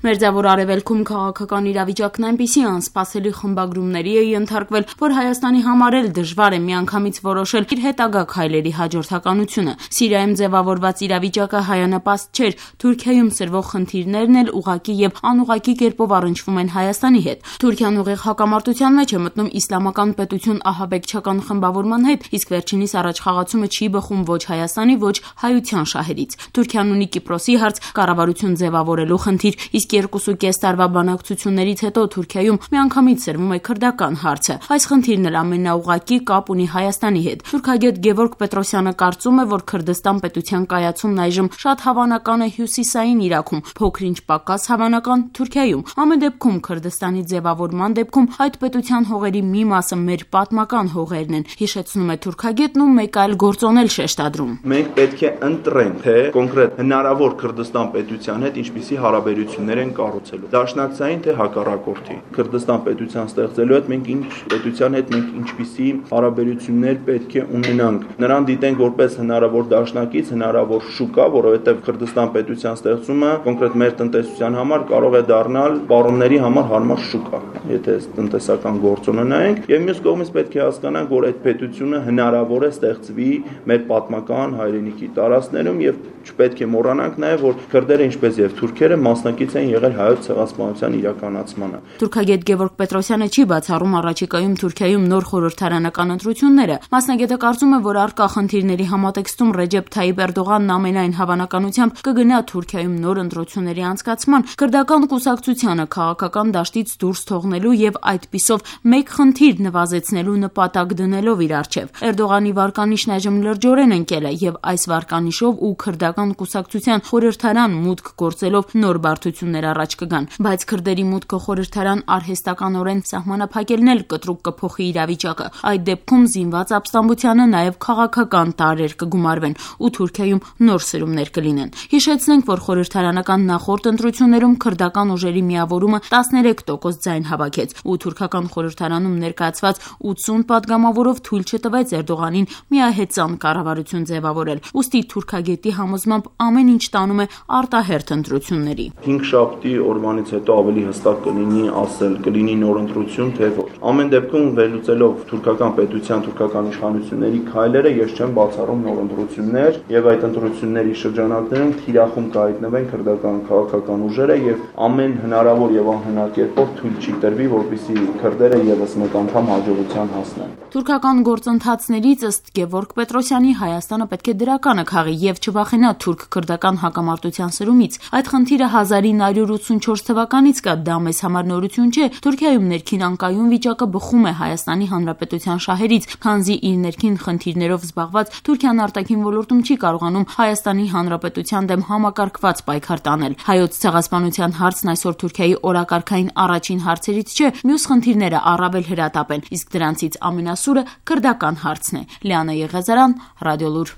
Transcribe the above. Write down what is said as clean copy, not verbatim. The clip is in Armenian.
Մերձավոր Արևելքում քաղաքական իրավիճակն այնպիսի անսպասելի խմբագրումների է ենթարկվել, որ Հայաստանի համար էլ դժվար է միանգամից որոշել իր հետագա քայլերի հաջորդականությունը։ Սիրիայում ձևավորված իրավիճակը հայանպաստ չէր, Թուրքիայում սրվող խնդիրներն էլ ուղղակի եւ անուղղակի կերպով առնչվում են Հայաստանի հետ։ Թուրքիան ուղիղ հակամարտության մեջ է մտնում իսլամական պետություն ահաբեկչական խմբավորման հետ, իսկ վերջինիս առաջխաղացումը չի բխում ոչ Հայաստանի, ոչ հայության շահերից։ Թուրքիան ունի Կիպրոսի հարց, կառավարություն ձևավորելու խնդիր, իսկ 2.5 տարվա բանակցություններից հետո Թուրքիայում միանգամից սրվում է քրդական հարցը։ Այս խնդիրն էլ ամենաուղղակի կապ ունի Հայաստանի հետ։ Թուրքագետ Գևորգ Պետրոսյանը կարծում է, որ Քրդստան պետության կայացումն այժմ շատ հավանական է Հյուսիսային Իրաքում, փոքր-ինչ պակաս հավանական Թուրքիայում։ Ամեն դեպքում Քրդստանի ձևավորման դեպքում այդ պետության հողերի մի մասը մեր պատմական հողերն են, հիշեցնում է թուրքագետն ու մեկ այլ գործոնել շեշտադրում։ Մենք պետք է ընտրենք, թե կոնկրետ հնարավոր Քրդստան պետության հետ ինչպիսի հարաբերություններ են կառուցելու։ Դաշնակցային թե հակառակորդի։ Քրդստան պետության ստեղծելու հետ մենք ինչպիսի հարաբերություններ պետք է ունենանք։ Նրան դիտենք որպես հնարավոր դաշնակից, հնարավոր շուկա, որովհետև Քրդստան պետության ստեղծումը կոնկրետ մեր տնտեսության համար կարող է դառնալ պարոնների համար հարմար շուկա, եթե տնտեսական գործոնը նայենք, եւ մյուս կողմից պետք է հասկանանք, որ այդ պետությունը հնարավոր է ստեղծվի մեր պատմական հայրենիքի տարածքներում եւ չպետք է մոռանանք նաեւ, որ քրդերը ինչպես եւ թուրքերը մասնակից են եղել հայոց ցեղասպանության իրականացմանը։ Թուրքագետ Գևորգ Պետրոսյանը չի բացառում առաջիկայում Թուրքիայում նոր խորհրդարանական ընտրությունները։ Մասնագետը կարծում է, որ առկա խնդիրների համատեքստում Ռեջեփ Թայիպ Էրդողանն ամենայն հավանականությամբ կգնա Թուրքիայում նոր ընտրությունների անցկացման, քրդական կուսակցությանը քաղաքական դաշտից դուրս թողնելու եւ այդպիսով մեկ խնդիր նվազեցնելու նպատակ դնելով իր առջեւ։ Էրդողանի վարկանիշն այժմ լրջորեն ընկել է եւ այս վարկանիշով ու քրդական կուսակցության խորհրդարան մուտք գործելով նոր բարդություններ առաջ կգան, բայց քրդերի մուտքը խորհրդարան արհեստականորեն սահմանափակելն էլ կտրուկ կփոխի իրավիճակը։ Այդ դեպքում զինված ապստամբությանը նաեւ քաղաքական տարրեր կգումարվեն ու Թուրքիայում նոր սրումներ կլինեն։ Հիշեցնենք, որ խորհրդարանական նախորդ ընտրություններում քրդական ուժերի միավորումը 13% ձայն հավաքեց ու թուրքական խորհրդարանում ներկայացված 80 պատգամավորով թույլ չտվեց Էրդողանին միահեծան կառավարություն ձևավորել։ Ուստի թուրքագետի համոզմամբ ամեն ինչ տանում է արտահերթ ընտրությունների։ 5 շաբթի օրվանից հետո ավելի հստակ կլինի ասել, կլինի նոր ընտրություն, թե ոչ։ Ամեն դեպքում վերլուծելով թուրքական պետության, թուրքական իշխանությունների քայլերը, ես չեմ բացառում նոր ընտրություններ եւ այդ ընտրությունների շրջանակներում թիրախում կհայտնվեն քրդական քաղաքական ուժերը եւ ամեն հնարավոր եւ անհնար կերպով թույլ չի տրվի, որպեսզի քրդերը եւս մեկ անգամ հաջողության հասնեն։ Թուրքական գործընթացներից ըստ Գևորգ Պետրոսյանի Հայաստանը պետք է դրականը քաղի եւ չվախենա թուրք-քրդական հակամարտության սրումից։ Այդ խնդիրը 1984 թվականից կա, դա մեզ համար նորություն չէ։ Թուրքիայում ներքին անկայուն վիճակը բխում է Հայաստանի Հանրապետության շահերից, քանզի իր ներքին խնդիրներով զբաղված Թուրքիան արտաքին ոլորտում չի կարողանում Հայաստանի Հանրապետության դեմ համակարգված պայքար տանել։ Հայոց ցեղասպանության հարցն այսօր Թուրքիայի օրակարգային առաջին հարցերից չէ, մյուս խնդիրները առավել հրատապ են, իսկ դրանցից ամենասուրը քրդական հարցն է։ Լիանա Եղեզարյան, Ռադիոլուր։